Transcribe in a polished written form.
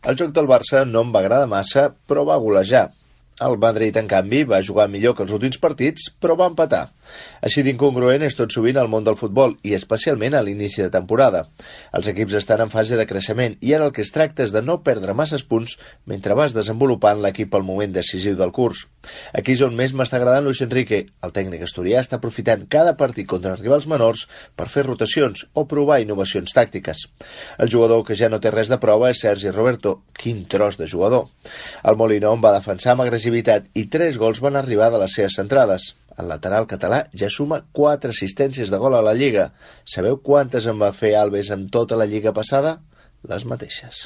El joc del Barça no em va agradar massa, però va golejar. El Madrid, en canvi, va jugar millor que els últims partits, però va empatar. Així d'incongruent és tot sovint el món del futbol, i especialment a l'inici de temporada. Els equips estan en fase de creixement i ara el que es tracta és de no perdre masses punts mentre vas desenvolupant l'equip al moment decisiu del curs. Aquí és on més m'està agradant Luis Enrique. El tècnic asturià està aprofitant cada partit contra els rivals menors per fer rotacions o provar innovacions tàctiques. El jugador que ja no té res de prova és Sergi Roberto. Quin tros de jugador! El Molinón va defensar amb agressivitat i 3 gols van arribar de les seves centrades. El lateral català ja suma 4 assistències de gol a la Lliga. Sabeu quantes en va fer Alves en tota la Lliga passada? Les mateixes.